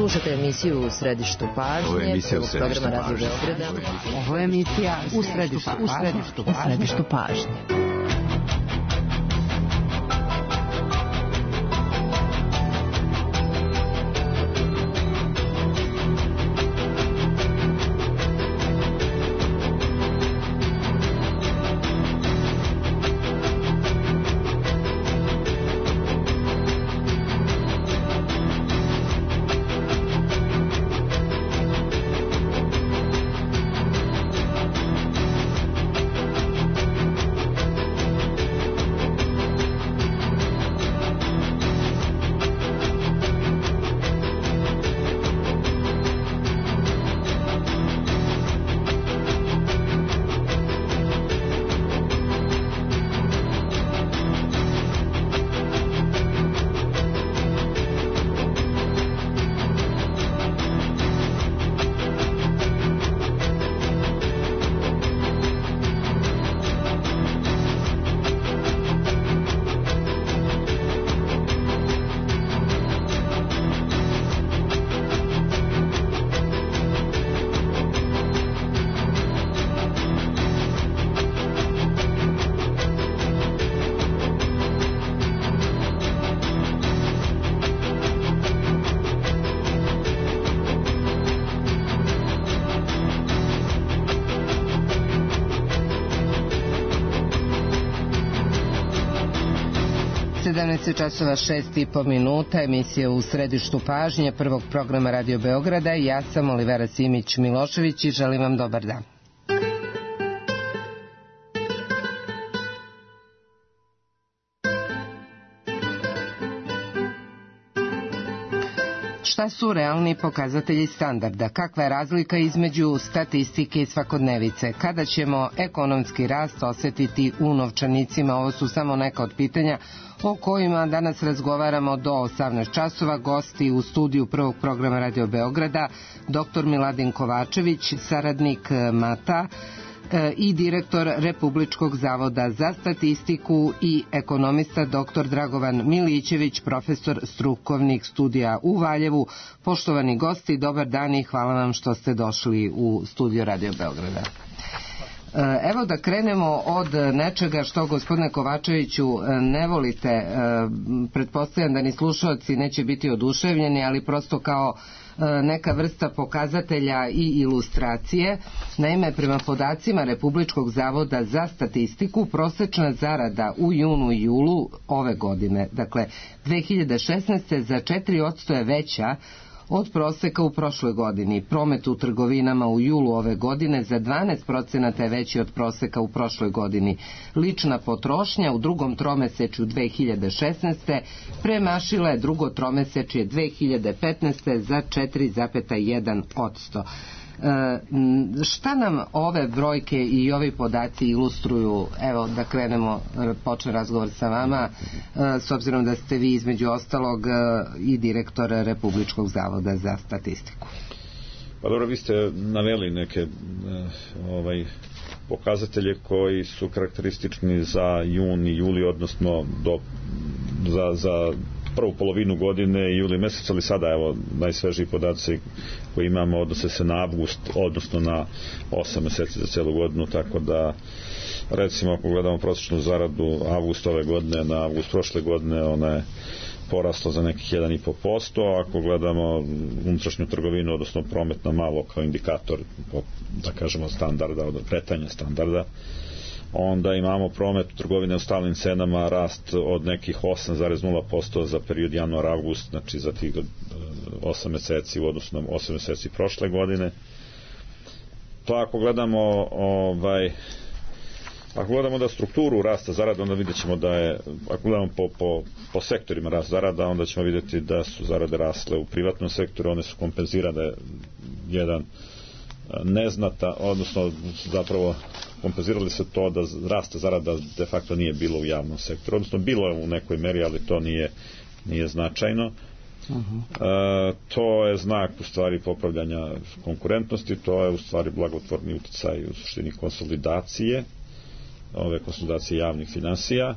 Slušate emisiju U središtu pažnje, prvog programa Radio Beograda. Ovo je emisija U središtu pažnje. Časova 6:30, emisija U središtu pažnje prvog programa Radio Beograda. Ja sam Olivera Simić-Milošević i želim vam dobar dan. Šta su realni pokazatelji standarda? Kakva je razlika između statistike i svakodnevice? Kada ćemo ekonomski rast osjetiti u novčanicima? Ovo su samo neka od pitanja o kojima danas razgovaramo do 18 časova. Gosti u studiju prvog programa Radio Beograda, dr. Miladin Kovačević, saradnik MATA i direktor Republičkog zavoda za statistiku, i ekonomista dr. Dragovan Milićević, profesor strukovnih studija u Valjevu. Poštovani gosti, dobar dan i hvala vam što ste došli u studio Radio Beograda. Evo da krenemo od nečega što, gospodine Kovačeviću, ne volite. Pretpostavljam da ni slušalci neće biti oduševljeni, ali prosto kao neka vrsta pokazatelja i ilustracije. Naime, prema podacima Republičkog zavoda za statistiku, prosečna zarada u junu i julu ove godine, dakle 2016. za 4% je veća od proseka u prošloj godini. Promet u trgovinama u julu ove godine za 12% je veći od proseka u prošloj godini. Lična potrošnja u drugom tromesečju 2016. premašila je drugo tromesečje 2015. za 4,1%. Šta nam ove brojke i ovi podaci ilustruju? Evo da krenemo, počne razgovor sa vama, s obzirom da ste vi između ostalog i direktor Republičkog zavoda za statistiku. Pa dobro, vi ste naveli neke pokazatelje koji su karakteristični za jun i juli, odnosno za prvu polovinu godine i juli mesec, ali sada evo najsvežiji podaci koji imamo odnose se na avgust, odnosno na 8 meseci za celu godinu, tako da recimo ako gledamo prosječnu zaradu avgust ove godine na avgust prošle godine, ona je porasla za nekih 1,5%, ako gledamo unutrašnju trgovinu, odnosno promet na malo kao indikator, da kažemo standarda, od kretanja standarda, onda imamo promet trgovine u stalnim cenama rast od nekih 8,0% za period januar-avgust, znači za tih 8 meseci u odnosu na 8 meseci prošle godine. To ako gledamo ako gledamo da strukturu rasta zarada, onda vidjet ćemo da je, ako gledamo po sektorima rast zarada, onda ćemo vidjeti da su zarade rasle u privatnom sektoru, one su kompenzirane jedan neznata, odnosno zapravo kompenzirali se to da rasta zarada de facto nije bilo u javnom sektoru, odnosno bilo je u nekoj meri, ali to nije značajno. To je znak u stvari popravljanja konkurentnosti, to je u stvari blagotvorni uticaj u suštini konsolidacije javnih finansija,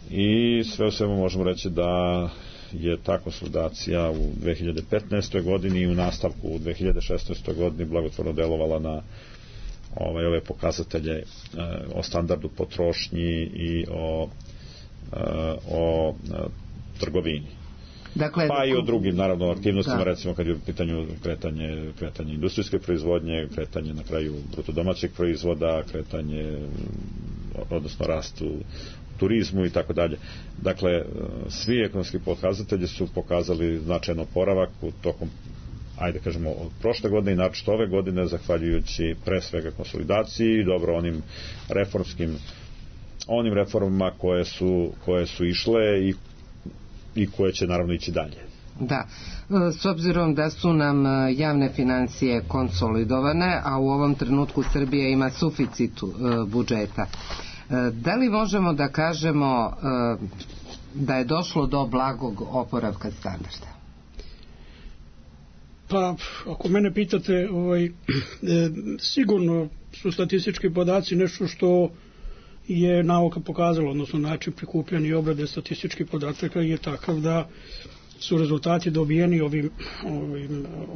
i sve u svemu možemo reći da je ta konsolidacija u 2015. godini i u nastavku u 2016. godini blagotvorno delovala na ove pokazatelje o standardu potrošnji i o trgovini. Dakle, pa i o drugim naravno aktivnostima, recimo kad je u pitanju kretanje industrijske proizvodnje, kretanje na kraju bruto domaćeg proizvoda, kretanje, odnosno rast u turizmu i tako dalje. Dakle, svi ekonomski pokazatelji su pokazali značajan oporavak u tokom, ajde kažemo, od prošle godine i naročito ove godine, zahvaljujući pre svega konsolidaciji i dobro onim reformama koje su išle i koje će naravno ići dalje. Da, s obzirom da su nam javne financije konsolidovane, a u ovom trenutku Srbija ima suficit budžeta, da li možemo da kažemo da je došlo do blagog oporavka standarda? Pa, ako mene pitate, sigurno su statistički podaci nešto što je nauka pokazala, odnosno način prikupljanja i obrade statističkih podataka je takav da su rezultati dobijeni ovim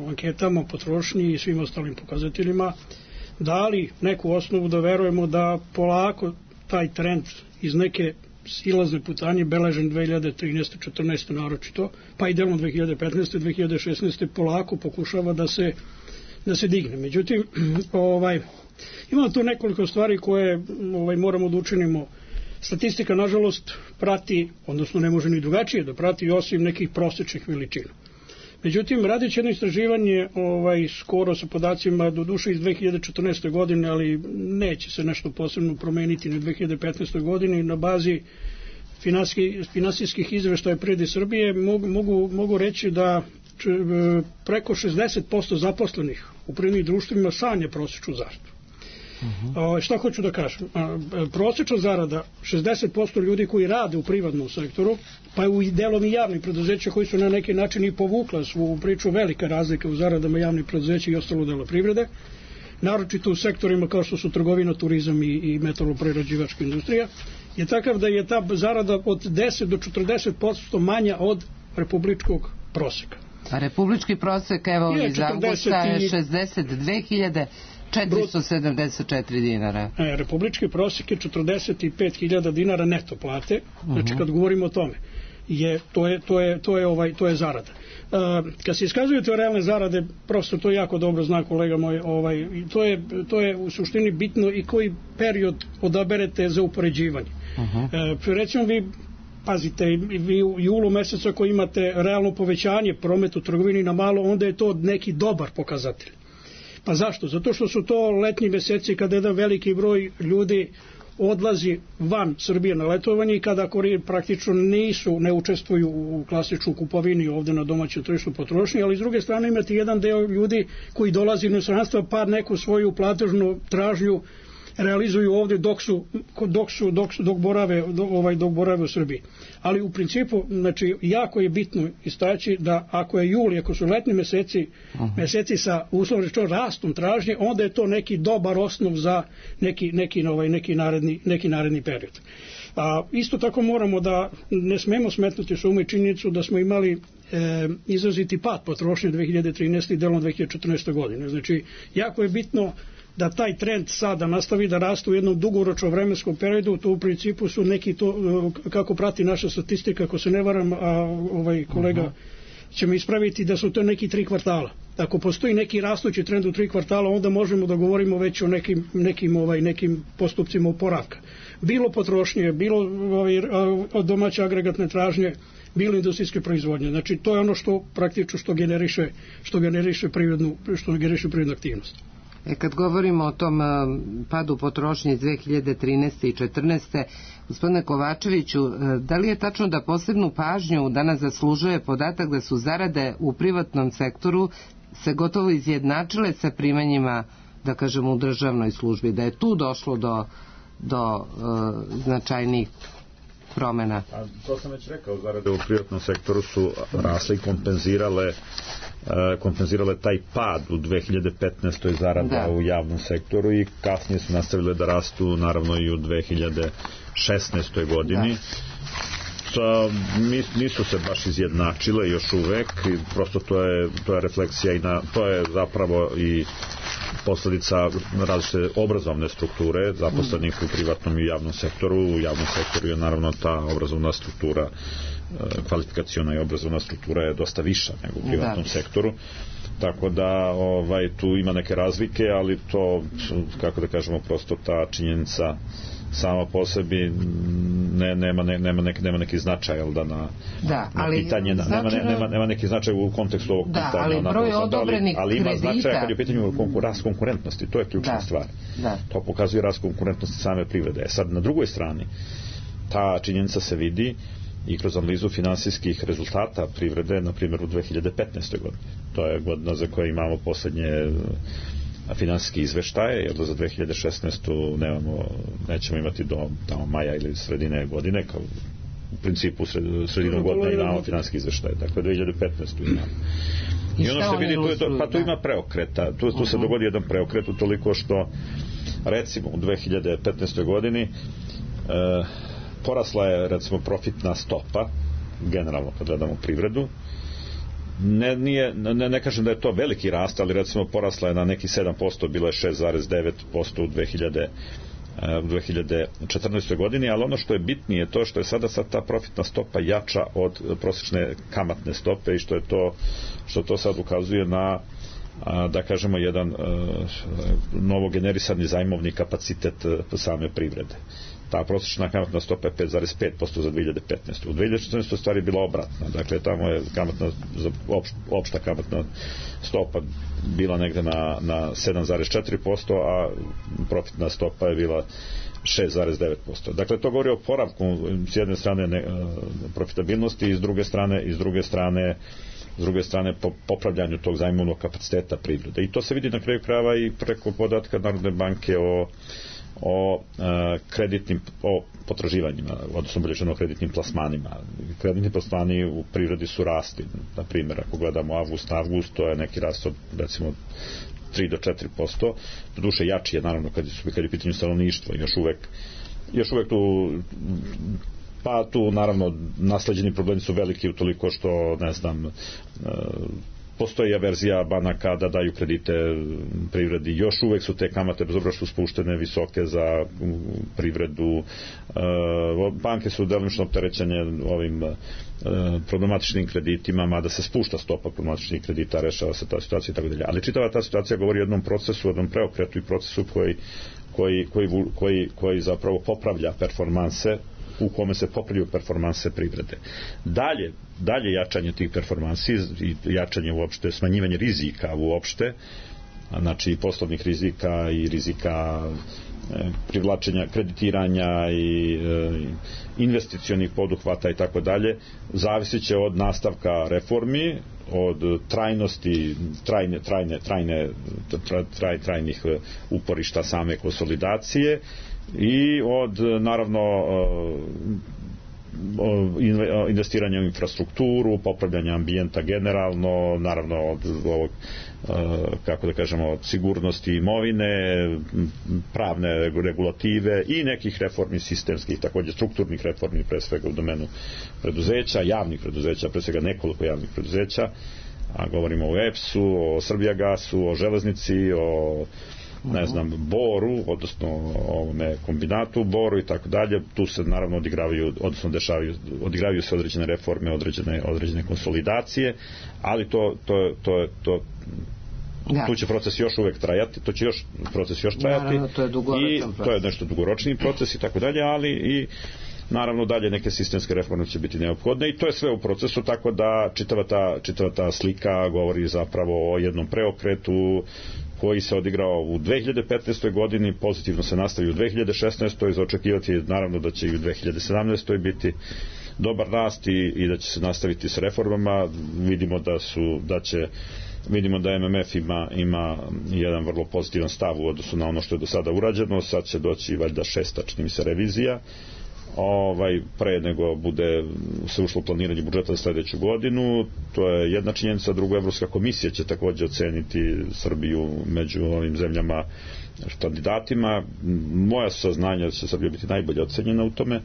anketama, potrošnji i svim ostalim pokazateljima dali neku osnovu da verujemo da polako taj trend iz neke silazne putanje beležen 2013. 14. naročito, pa i delom 2015. 2016. polako pokušava da se digne. Međutim, ima tu nekoliko stvari koje moramo da učinimo. Statistika, nažalost, prati, odnosno ne može ni drugačije da prati, osim nekih prosečnih veličina. Međutim, radići jedno istraživanje skoro sa podacima do duše iz 2014. godine, ali neće se nešto posebno promeniti na 2015. godini, na bazi finansijskih izveštaja Privrede Srbije mogu reći da preko 60% zaposlenih u privrednim društvima sanja prosečnu zaradu. Šta hoću da kažem? Prosečna zarada 60% ljudi koji rade u privatnom sektoru, pa u delom i javnih preduzeća koji su na neki način i povukla svu priču, velika razlika u zaradama javnih preduzeća i ostalo dela privrede, naročito u sektorima kao što su trgovina, turizam i metaloprerađivačka industrija, je takav da je ta zarada od 10 do 40% manja od republičkog proseka. A republički prosek, evo iz avgusta, je 62.474 dinara. Republički prosek je 45.000 dinara neto plate. Znači kad govorimo o tome, to je zarada. Kad se iskazuju te realne zarade, prosto to jako dobro zna kolega moj, to je u suštini bitno i koji period odaberete za upoređivanje. Recimo vi pazite, vi u julu mesecu ako imate realno povećanje prometa u trgovini na malo, onda je to neki dobar pokazatelj. Pa zašto? Zato što su to letnji meseci kada jedan veliki broj ljudi odlazi van Srbije na letovanje i kada praktično ne učestvuju u klasičnoj kupovini ovde na domaćem tržištu potrošnje, ali s druge strane imate jedan deo ljudi koji dolazi iz inostranstva pa neku svoju platežnu tražnju realizuju ovde dok borave u Srbiji. Ali u principu, znači, jako je bitno istaći da ako je juli, ako su letnji meseci sa uslovno rečeno rastom tražnje, onda je to neki dobar osnov za neki naredni period. Isto tako moramo da ne smemo smetnuti s uma i činjenicu da smo imali izraziti pad potrošnje 2013. i delom 2014. godine. Znači, jako je bitno da taj trend sada nastavi da raste u jednom dugoročnom vremenskom periodu. To u principu su neki to, kako prati naša statistika, ako se ne varam, kolega će me ispraviti, da su to neki 3 kvartala. Ako postoji neki rastući trend u 3 kvartala, onda možemo da govorimo već o nekim postupcima oporavka. Bilo potrošnje, bilo domaće agregatne tražnje, bilo industrijske proizvodnje. Znači to je ono što praktično što generiše privrednu aktivnost. Kad govorimo o tom padu potrošnje iz 2013. i 2014. Gospodine Kovačeviću, da li je tačno da posebnu pažnju danas zaslužuje podatak da su zarade u privatnom sektoru se gotovo izjednačile sa primanjima, da kažemo, u državnoj službi, da je tu došlo do značajnih promena? To sam već rekao, zarade u privatnom sektoru su rasle i kompenzirale taj pad u 2015. zarada u javnom sektoru i kasnije su nastavile da rastu naravno i u 2016. godini. nisu se baš izjednačile još uvek i prosto to je refleksija i to je zapravo i posledica različite obrazovne strukture zaposlenih u privatnom i javnom sektoru. U javnom sektoru je naravno ta obrazovna struktura, kvalifikaciona i obrazovna struktura je dosta viša nego u privatnom sektoru. Tako da tu ima neke razlike, ali to, kako da kažemo, prosto ta činjenica sama po sebi nema neki značaj, jel da, na pitanje, nema neki značaj u kontekstu ovog pitanja. Da, ali broj odobrenih ali ima kredita... značaj kad je u pitanju rast konkurentnosti, to je ključna stvar. To pokazuje rast konkurentnosti same privrede. Sad, na drugoj strani, ta činjenica se vidi i kroz analizu finansijskih rezultata privrede, na primjer u 2015. godini. To je godina za koje imamo poslednje finansijski izveštaje, jer da za 2016. nećemo imati do tamo maja ili sredine godine, kao u principu sredinom godine imamo finansijski izveštaje, dakle 2015. imamo. I ono što vidi, tu ima preokreta, tu se dogodi jedan preokret, utoliko što recimo u 2015. godini porasla je recimo profitna stopa, generalno kad gledamo privredu. Ne kažem da je to veliki rast, ali recimo porasla je na neki 7%, bila je 6,9% u 2014. godini, ali ono što je bitnije je to što je sada ta profitna stopa jača od prosječne kamatne stope i što to sad ukazuje na, da kažemo, jedan novogenerisani zajmovni kapacitet same privrede. Ta prosječna kamatna stopa je 5,5% za 2015. U 2014. stvari je bila obratna. Dakle, tamo je opšta kamatna stopa bila negde na 7,4%, a profitna stopa je bila 6,9%. Dakle, to govori o poravku s jedne strane profitabilnosti i s druge strane popravljanju tog zajmovnog kapaciteta privrede. I to se vidi na kraju krajeva i preko podatka Narodne banke o potraživanjima, odnosno bolje kreditnim plasmanima. Kreditni plasmani u privredi su rasti. Na primjer, ako gledamo avgust, to je neki rast od recimo 3 do 4%. Doduše jači je naravno kad je u pitanju stanovništvo. Još uvek tu naravno nasleđeni problemi su veliki utoliko što, ne znam, postoji averzija banaka da daju kredite privredi. Još uvek su te kamate, bez obzira što su spuštene, visoke za privredu. Banke su delimično opterećene ovim problematičnim kreditima, mada se spušta stopa problematičnih kredita, rešava se ta situacija i tako dalje. Ali čitava ta situacija govori o jednom procesu, jednom preokretu i procesu koji zapravo popravlja performanse, u kome se popravljaju performanse privrede. Dalje jačanje tih performansi i jačanje uopšte, smanjivanje rizika uopšte, znači poslovnih rizika i rizika privlačenja, kreditiranja i investicionih poduhvata i tako dalje, zavisit će od nastavka reformi, od trajnosti, trajnih uporišta same konsolidacije i od, naravno, investiranja u infrastrukturu, popravljanja ambijenta generalno, naravno od ovog, kako da kažemo, od sigurnosti imovine, pravne regulative i nekih reformi sistemskih, također strukturnih reformi, pre svega u domenu preduzeća, javnih preduzeća, pre svega nekoliko javnih preduzeća, a govorimo o EPS-u, o Srbijagasu, o železnici, o Boru, odnosno ovome kombinatu Boru i tako dalje. Tu se naravno odigravaju se određene reforme, određene konsolidacije, ali tu će proces još uvek trajati, Naravno, to je dugoročan proces. To je nešto dugoročni proces i tako dalje, ali i naravno dalje neke sistemske reforme će biti neophodne i to je sve u procesu, tako da čitava ta slika govori zapravo o jednom preokretu koji se odigrao u 2015. godini, pozitivno se nastavi u 2016. za očekivati naravno da će i u 2017. biti dobar rast i da će se nastaviti s reformama. Vidimo da MMF ima jedan vrlo pozitivan stav u odnosu na ono što je do sada urađeno. Sad će doći valjda 6. čini mi se revizija pre nego bude se ušlo planiranje budžeta za sledeću godinu. To je jedna činjenica. Drugo, Evropska komisija će također oceniti Srbiju među ovim zemljama kandidatima. Moja saznanja da će Srbija biti najbolje ocenjena u tome.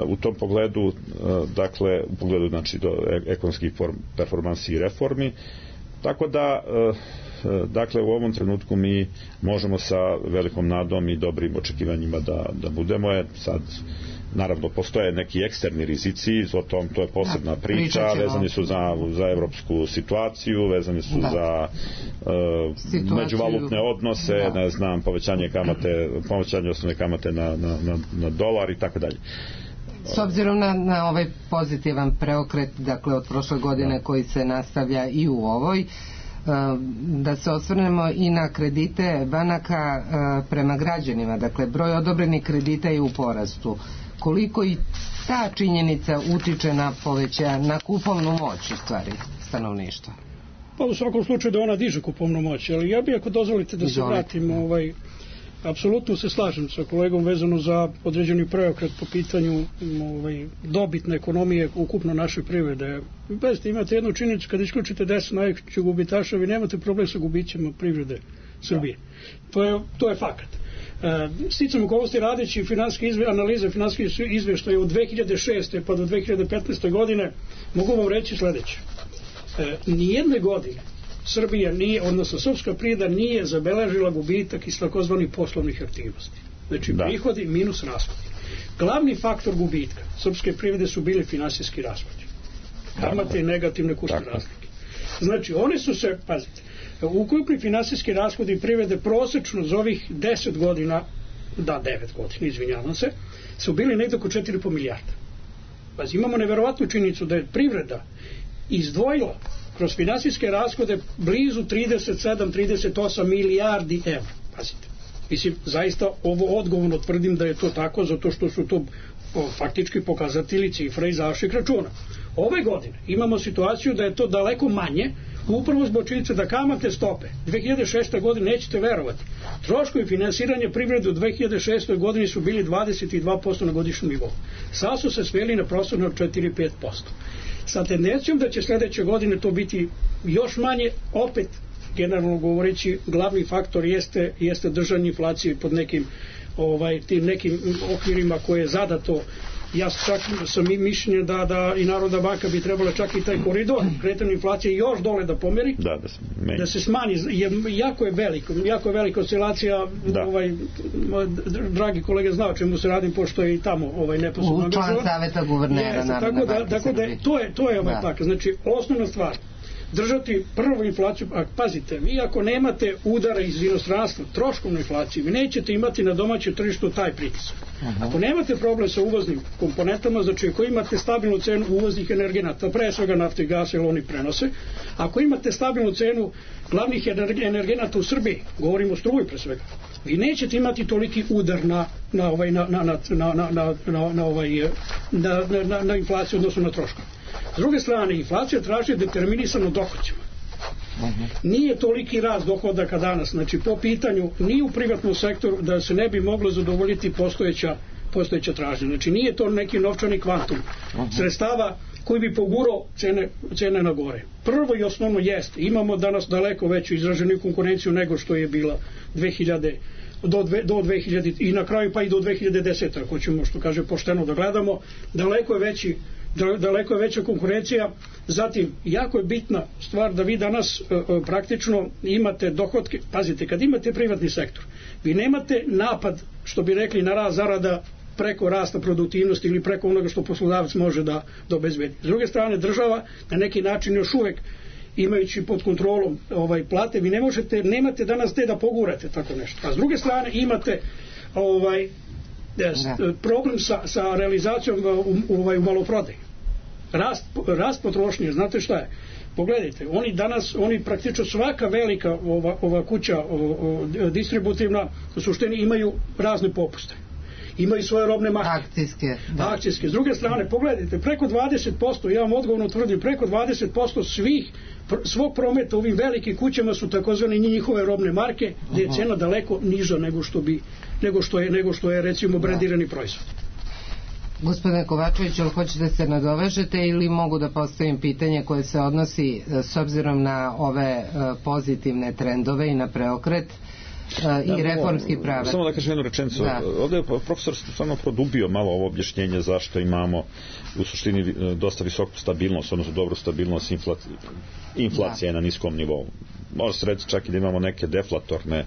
U tom pogledu, dakle, u pogledu znači do ekonomskih performansi i reformi, tako da dakle u ovom trenutku mi možemo sa velikom nadom i dobrim očekivanjima da budemo. Sad naravno postoje neki eksterni rizici, o tom to je posebna priča, vezani su za evropsku situaciju, vezani su za međuvalutne odnose, ne znam, povećanje osnovne kamate na dolar i tako dalje. S obzirom na ovaj pozitivan preokret, dakle od prošle godine koji se nastavlja i u ovoj, da se osvrnemo i na kredite banaka prema građanima, dakle broj odobrenih kredita je u porastu. Koliko i ta činjenica utiče na kupovnu moć u stvari stanovništva? Pa u svakom slučaju da ona diže kupovnu moć, ali ja bih, ako dozvolite da se vratim, apsolutno se slažem sa kolegom vezano za određeni preokret po pitanju dobitne ekonomije ukupno naše privrede. Bezte, imate jednu činjenicu, kada isključite 10 najvećih gubitaša, vi nemate problem sa gubićima privrede Srbije. To je fakat. Sticam okolnosti radeći analize finansijskih izveštaja od 2006. pa do 2015. godine, mogu vam reći sledeće. Nijedne godine Srbija nije, odnosno srpska privreda nije zabeležila gubitak iz takozvanih poslovnih aktivnosti. Znači prihodi minus rashodi. Glavni faktor gubitka srpske privrede su bili finansijski rashodi. Kamate i negativne kursne razlike. Znači oni su se, pazite, ukupni finansijski rashodi privrede prosečno za ovih 10 godina, 9 godina, izvinjavam se, su bili negdje oko 4,5 milijarda. Pazi, imamo neverovatnu činjenicu da je privreda izdvojila kroz finansijske rashode blizu 37-38 milijardi evra. Pazite. Mislim, zaista ovo odgovorno tvrdim da je to tako, zato što su to faktički pokazatelji cifra iz vaših računa. Ove godine imamo situaciju da je to daleko manje, upravo zbog činjenice da kamatne stope 2006. godine, nećete verovati, troškovi finansiranja privrede u 2006. godini su bili 22% na godišnjem nivou. Sad su se sveli na prostorno 4-5%. Sa tendencijom da će sljedeće godine to biti još manje, opet generalno govoreći glavni faktor jeste držanje inflacije pod nekim tim nekim okvirima koje je zadato. Ja čak sam i mišljenja da i Narodna banka bi trebala čak i taj koridor kretanja inflacije još dole da pomeri, da se smanji, jer jako je velika oscilacija. Dragi kolega zna o čemu se radim, pošto je i tamo neposredno član saveta guvernera Narodne banke. Tako da to je tako. Znači osnovna stvar držati prvu inflaciju, a pazite, vi ako nemate udara iz inostranstva, troškovnu inflaciju, vi nećete imati na domaćem tržištu taj pritisak. Ako nemate problem sa uvoznim komponentama, znači ako imate stabilnu cenu uvoznih energenata, pre svega nafte i gasa, jer oni prenose, ako imate stabilnu cenu glavnih energenata u Srbiji, govorimo o struji pre svega, vi nećete imati toliki udar na inflaciju odnosno na troškove. S druge strane, inflacija traži determinisano dohodcima. Nije toliki rast dohodaka danas, znači po pitanju ni u privatnom sektoru da se ne bi moglo zadovoljiti postojeća tražnja. Znači nije to neki novčani kvantum sredstava koji bi pogurao cene na gore. Prvo i osnovno jeste, imamo danas daleko veću izraženu konkurenciju nego što je bila 2000 do 2000 i na kraju pa i do 2010. Ako ćemo, što kaže, pošteno da gledamo, daleko je veća konkurencija. Zatim, jako je bitna stvar da vi danas praktično imate dohotke. Pazite, kad imate privatni sektor, vi nemate napad, što bi rekli, na rast zarada preko rasta produktivnosti ili preko onoga što poslodavac može da obezbedi. S druge strane, država na neki način još uvek imajući pod kontrolom plate, vi nemate danas te da pogurate tako nešto. A s druge strane imate problem sa realizacijom u maloprodaji. Rast potrošnje, znate šta je? Pogledajte, oni praktično svaka velika ova kuća distributivna u suštini imaju razne popuste. Imaju svoje robne marke. Akcijske. S druge strane, pogledajte, preko 20%, ja vam odgovorno tvrdim, preko 20% svog prometa u ovim velikim kućama su takozvane njihove robne marke, gdje je cena daleko niža nego što je recimo brendirani proizvod. Gospodine Kovačević, ali hoćete se nadovežete ili mogu da postavim pitanje koje se odnosi s obzirom na ove pozitivne trendove i na preokret? i reformski pravac. Samo da kažem jednu rečenicu. Ovdje je profesor stvarno produbio malo ovo objašnjenje zašto imamo u suštini dosta visoku stabilnost, odnosno dobru stabilnost inflacije na niskom nivou. Može se reći čak i da imamo neke deflatorne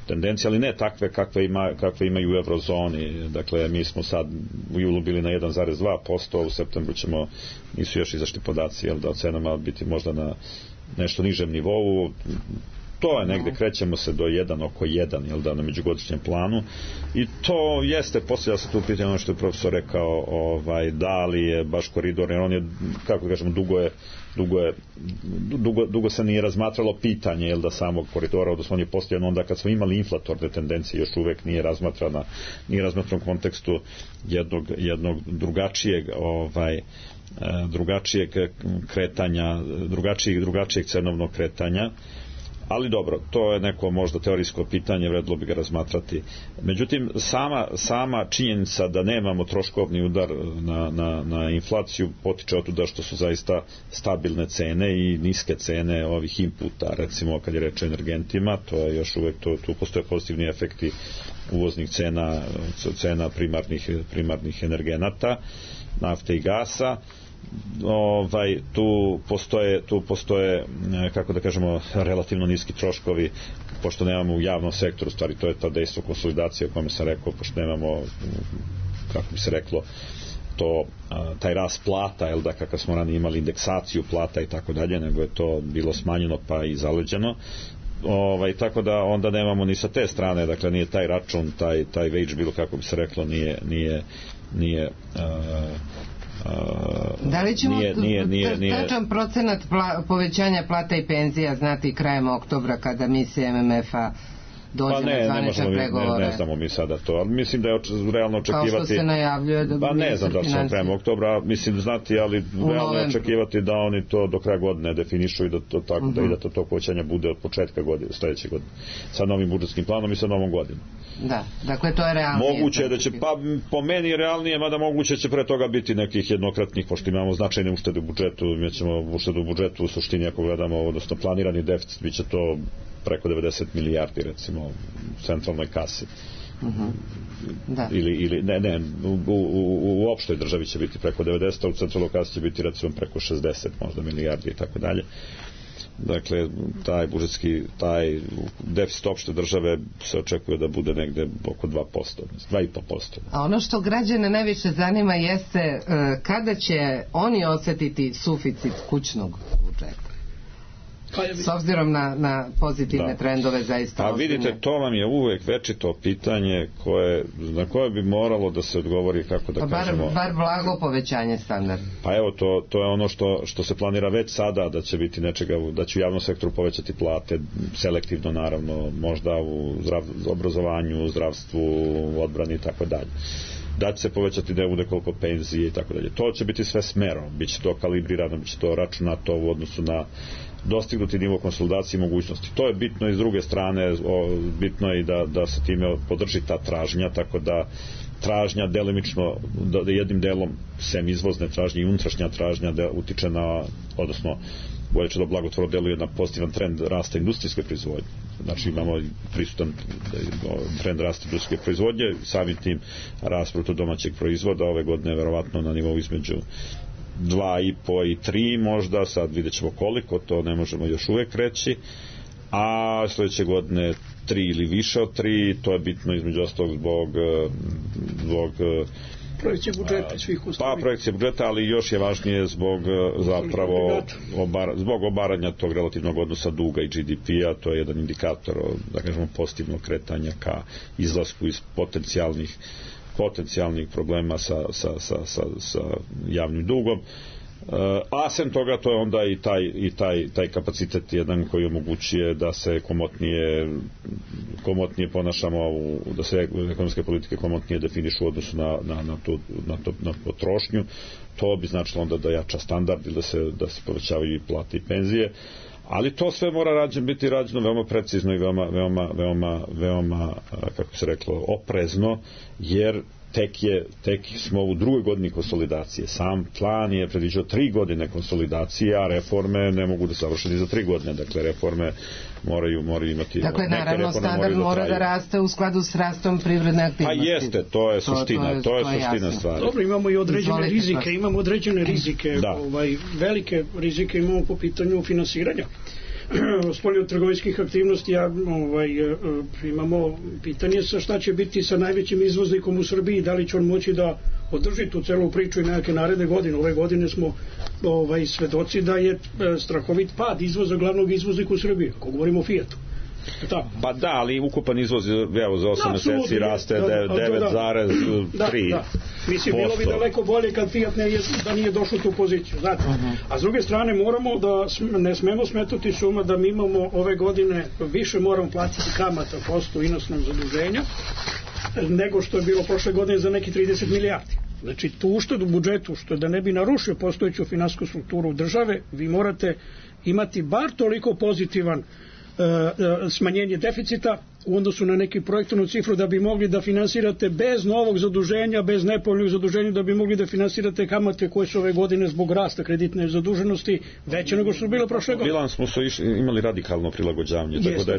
tendencije, ali ne takve kakve imaju u eurozoni. Dakle, mi smo sad u julu bili na 1,2%, u septembru nisu još izašli podaci, da od cenama biti možda na nešto nižem nivou. To je negde, krećemo se do 1 oko 1, na međugodišnjem planu, i to jeste, poslije se tu pitanje ono što je profesor rekao, da li je baš koridor, jer on je, kako kažemo, dugo se nije razmatralo pitanje, da samog koridora, odnosno on je postojan onda kad smo imali inflatorne tendencije, još uvek nije razmatran u kontekstu jednog drugačijeg kretanja, drugačijeg cenovnog kretanja. Ali dobro, to je neko možda teorijsko pitanje, vredilo bi ga razmatrati. Međutim, sama činjenica da nemamo troškovni udar na inflaciju potiče od tuda što su zaista stabilne cene i niske cene ovih inputa, recimo kad je reč o energentima, to je još uvek, tu postoje pozitivni efekti uvoznih cena primarnih energenata, nafte i gasa. Tu postoje, kako da kažemo, relativno niski troškovi, pošto nemamo u javnom sektoru, stvari to je ta dejstvo konsolidacije o kome sam rekao, pošto nemamo, kako bi se reklo, taj rast plata, kakav smo ranije imali indeksaciju plata i tako dalje, nego je to bilo smanjeno pa i zaleđeno. Tako da onda nemamo ni sa te strane, dakle nije taj račun, taj wage bill, kako bi se reklo, nije da li ćemo tačan procenat povećanja plata i penzija znati krajem oktobra kada misija MMF-a dođe na zvanične pregovore? Ne znamo mi sada to, ali mislim da je realno očekivati, kao što se najavljuje da bude ne znam da ćemo krajem oktobra, mislim znati, ali realno je očekivati da oni to do kraja godine definišu i da to tako, da to povećanje bude od početka godine, sledeće godine, sa novim budžetskim planom i sa novom godinom. Da, dakle to je realnije. Moguće da će, po meni je realnije, mada moguće će pre toga biti nekih jednokratnih, pošto imamo značajne uštede u budžetu, mi ćemo uštedu u budžetu u suštini, ako gledamo, odnosno planirani deficit, bit će to preko 90 milijardi, recimo, u centralnoj kasi. Da. Ili u opštoj državi će biti preko 90, a u centralnoj kasi će biti, recimo, preko 60 možda milijardi i tako dalje. Dakle, taj deficit opšte države se očekuje da bude negde oko 2%, 2,5%. A ono što građane najviše zanima jeste kada će oni osjetiti suficit kućnog budžeta? S obzirom na pozitivne trendove zaista ozbiljne. A vidite, to vam je uvek večito pitanje na koje bi moralo da se odgovori, kako da kažemo. Bar blago povećanje standarda. Pa evo, to je ono što se planira već sada, da će biti nečega, da će u javnom sektoru povećati plate, selektivno naravno, možda u obrazovanju, u zdravstvu, u odbrani i tako dalje. Da će se povećati da bude koliko penzije i tako dalje. To će biti sve smerom, bit će to kalibrirano, bit će to računato u odnosu na dostignuti nivo konsolidacije i mogućnosti. To je bitno i s druge strane, bitno je i da se time podrži ta tražnja, tako da tražnja delimično, da jednim delom sem izvozne tražnje i unutrašnja tražnja da utiče na, odnosno bolje će da blagotvorno deluje na pozitivan trend rasta industrijske proizvodnje. Znači imamo prisutan trend rasta industrijske proizvodnje, samim tim rast bruto domaćeg proizvoda ove godine verovatno na nivou između 2,5 i 3 možda, sad vidjet ćemo koliko, to ne možemo još uvek reći, a sledeće godine 3 ili više od 3, to je bitno između ostalog zbog projekcije budžeta i svih ostalih. Pa projekcije budžeta, ali još je važnije zbog zapravo zbog obaranja tog relativnog odnosa duga i GDP-a, to je jedan indikator, da kažemo, pozitivnog kretanja ka izlasku iz potencijalnih problema sa javnim dugom. A sem toga to je onda i taj kapacitet jedan koji omogućuje da se komotnije ponašamo, da se ekonomske politike komotnije definišu u odnosu na potrošnju. To bi značilo onda da jača standard ili da se povećavaju i plate i penzije. Ali to sve mora biti rađeno veoma precizno i veoma kako se reklo, oprezno, jer tek smo u drugoj godini konsolidacije. Sam plan je predviđao 3 godine konsolidacije, a reforme ne mogu da završiti za 3 godine. Dakle, reforme moraju imati... Dakle, naravno, standard mora da raste u skladu s rastom privredne aktivnosti. Pa jeste, to je suština, to je suština stvari. Dobro, imamo i određene rizike, velike rizike imamo po pitanju finansiranja. Spoljnotrgovinskih aktivnosti, imamo pitanje sa šta će biti sa najvećim izvoznikom u Srbiji, da li će on moći da održi tu celu priču i nekake naredne godine. Ove godine smo svedoci da je strahovit pad izvoza glavnog izvoznika u Srbiji, ako govorimo o Fijatu. Pa da, ali ukupan izvoz evo za 8 meseci raste 9,3%. Mislim, bilo bi daleko bolje kad Fiat da nije došao u tu poziciju, znate. A s druge strane ne smemo smetati suma da mi imamo ove godine više moramo platiti kamata posto inostnog zaduženja nego što je bilo prošle godine za neki 30 milijardi. Znači, tu uštedu u budžetu, što da ne bi narušio postojeću finansijsku strukturu države, vi morate imati bar toliko pozitivan smanjenje deficita u odnosu na neki projektovnu cifru da bi mogli da finansirate bez novog zaduženja, bez nepovoljnog zaduženja, da bi mogli da finansirate kamate koje su ove godine zbog rasta kreditne zaduženosti veće nego što su bile prošle godine. Bilans smo imali radikalno prilagođavanje, tako da je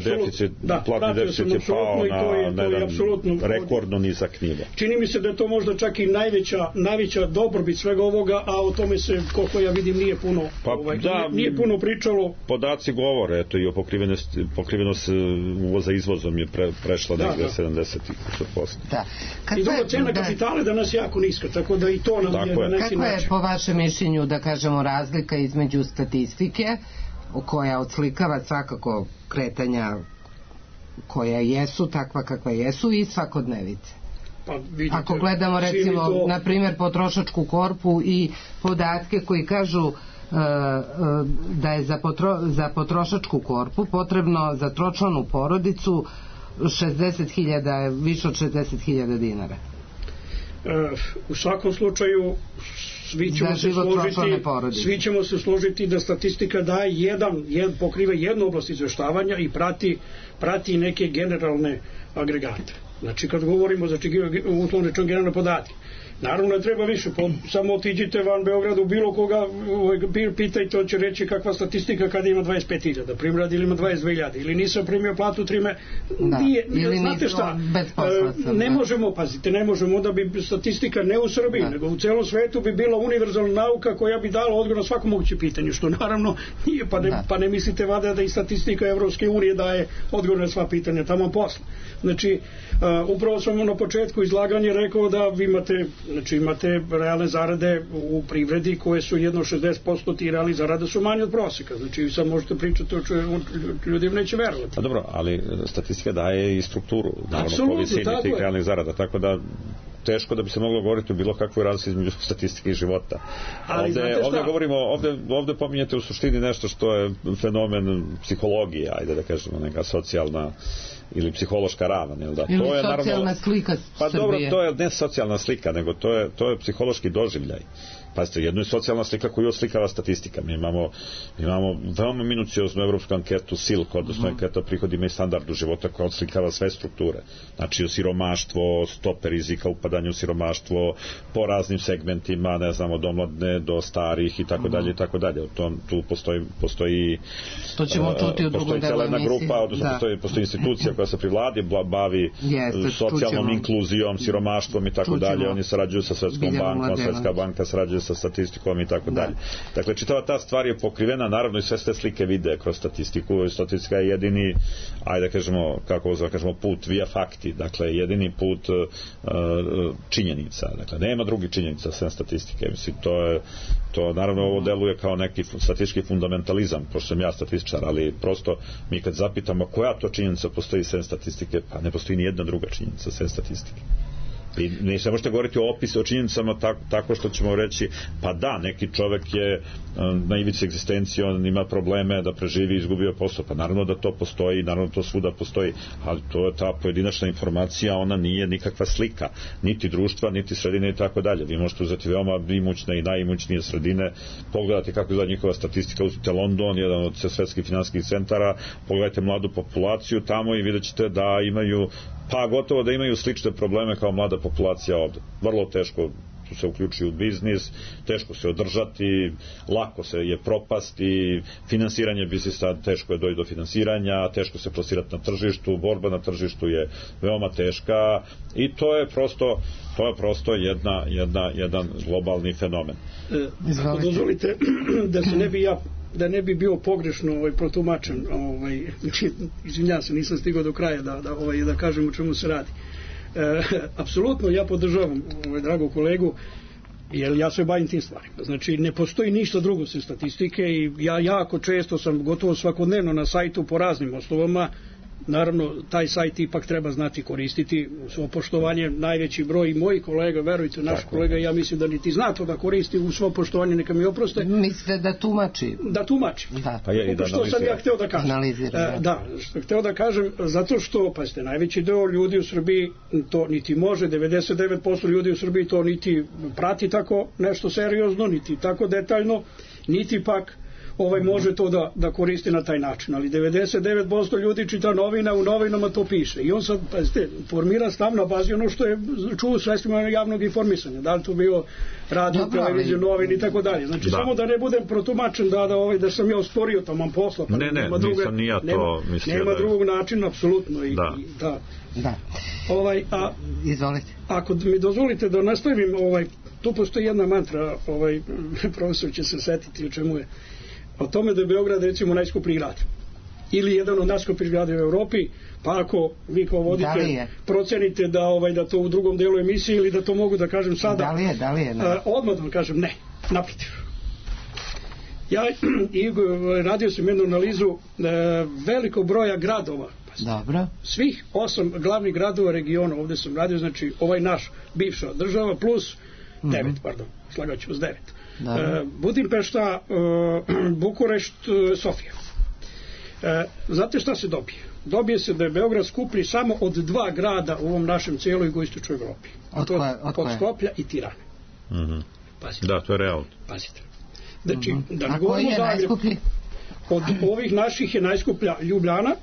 platni deficit je pao na jedan rekordno nizak nivo. Čini mi se da je to možda čak i najveća dobrobit svega ovoga, a o tome se, koliko ja vidim, nije puno pričalo. Podaci govore, eto, i o pokrivenost uvoza izvozom je prešla negde 70%. I drugo, cena kapitala je danas jako niska, tako da i to nam je na neki način. Kako je po vašem mišljenju, da kažemo, razlika između statistike, koja odslikava svakako kretanja koja jesu, takva kakva jesu, i svakodnevice? Ako gledamo, recimo, na primjer, potrošačku korpu i podatke koji kažu da je za potrošačku korpu potrebno za tročlanu porodicu 60.000, više od 60.000 dinara. U svakom slučaju svi ćemo se složiti da statistika daje pokriva jednu oblast izveštavanja i prati neke generalne agregate. Znači, kad govorimo, uslovno rečeno, generalne podatke, naravno ne treba više, samo otiđite van Beograda u bilo koga, pitajte, on će reći kakva statistika kada ima 25.000 primjer, ili ima 22.000, ili nisam primio platu 3 znate šta, ne možemo, onda bi statistika ne u Srbiji, nego u celom svetu bi bila univerzalna nauka koja bi dala odgovor na svako moguće pitanje, što naravno nije, pa ne mislite vada da i statistika Evropske unije daje odgovor na sva pitanja tamo posle. Znači, upravo sam na početku izlaganja rekao da vi imate realne zarade u privredi koje su jedno 60%, ti realni zarade su manje od proseka. Znači, sad možete pričati, ljudi neće verovati. Pa dobro, ali statistika daje i strukturu, naravno, po visini tih realnih zarada, tako da teško da bi se moglo govoriti o bilo kakvoj razlici između statistike i života. Ovde pominjete u suštini nešto što je fenomen psihologije, ajde da kažemo, neka socijalna ili psihološka ravan, jel da? Ili to je socijalna slika Srbije. Pa dobro, to je ne socijalna slika, nego to je psihološki doživljaj. Pazite, jedno je socijalna slika koju oslikava statistika. Mi imamo veoma minucioznu evropsku anketu SILK, odnosno anketa o prihodima i standardu života, koja oslikava sve strukture. Znači, siromaštvo, stope rizika upadanja u siromaštvo, po raznim segmentima, ne znam, od omladne do starih i tako dalje i tako dalje. Tu postoji to ćemo čuti u drugoj delu emisiji. Grupa, odnosno postoji institucija koja se pri vladi bavi socijalnom inkluzijom, siromaštvom i tako dalje. Oni sarađuju sa Svetskom bankom, Svetska banka sarađuje sa statistikom i tako dalje. Dakle, čitava ta stvar je pokrivena, naravno i sve te slike vide kroz statistiku. Statistika je jedini, ajde da kažemo, put via fakti, dakle jedini put činjenica. Dakle, nema drugih činjenica sem statistike. Mislim, to naravno ovo deluje kao neki statistički fundamentalizam, pošto sam ja statističar, ali prosto mi kad zapitamo koja to činjenica postoji sem statistike, pa ne postoji ni jedna druga činjenica sem statistike. I ne se možete govoriti o opisu, o činjenicama tako što ćemo reći, pa da, neki čovek je na ivici egzistencije, on ima probleme da preživi, izgubio posao, pa naravno da to postoji, naravno to svuda postoji, ali to je ta pojedinačna informacija, ona nije nikakva slika, niti društva, niti sredine i tako dalje. Vi možete uzeti veoma imućne i najimućnije sredine, pogledati kako izgleda njihova statistika, uzmite London, jedan od svetskih finansijskih centara, pogledajte mladu populaciju tamo i vidjet ćete da imaju pa gotovo da imaju slične probleme kao mlada populacija ovde. Vrlo teško se uključuju u biznis, teško se održati, lako se je propasti, finansiranje biznisa, teško je doći do finansiranja, teško se plasirati na tržištu, borba na tržištu je veoma teška i to je prosto jedan globalni fenomen. Ako dozvolite da ne bi bio pogrešno protumačen, izvinjam se, nisam stigao do kraja da kažem o čemu se radi. Apsolutno ja podržavam dragog kolegu, jer ja se bavim tim stvarima. Znači, ne postoji ništa drugo sem statistike i ja jako često sam gotovo svakodnevno na sajtu po raznim osnovama. Naravno, taj sajt ipak treba znati koristiti u svo poštovanje. Najveći broj mojih kolega, verujte, naš kolega, ja mislim da niti zna to da koristi u svo poštovanje, neka mi oproste. Mislite da tumači? Da tumači. Da. Pa je i da što sam ja hteo da kažem. Što hteo da kažem, zato što, pazite, najveći deo ljudi u Srbiji to niti može, 99% ljudi u Srbiji to niti prati tako nešto seriozno, niti tako detaljno, niti pak može to da koristi na taj način, ali 99% ljudi čita novina, u novinama to piše i on sad, pazite, formira stav na bazi ono što je čuo u sredstvima javnog informisanja, da li to bio radio, televiziju, novin i tako dalje. Znači, samo da ne budem protumačen da sam ja osporio tamo posla. Ne, nisam ni ja to mislio. Nema drugog načina, apsolutno. Da. Izvolite. Ako mi dozvolite da nastavim, tu postoji jedna mantra, profesor će se setiti o čemu je, o tome da je Beograd recimo najskuplji grad ili jedan od najskupljih gradova u Evropi, pa ako vi kao voditelj procenite da to u drugom delu emisije ili da to mogu da kažem sada, da li je odmah da vam kažem ne, naprotiv. Ja radio sam jednu analizu velikog broja gradova. Dobro. Svih 8 glavnih gradova regiona, ovde sam radio, znači ovaj naš bivša država plus 9, slagat ću vas 9. Budimpešta, Bukurešt, Sofija. Znate šta se dobije? Dobije se da je Beograd skuplji samo od 2 grada u ovom našem cijeloj jugoistočnoj Evropi. Od Skoplja i Tirane. Pazite. Da, to je realno. Pazite. Znači, da govorimo Zagreb, od ovih naših je najskuplja Ljubljana,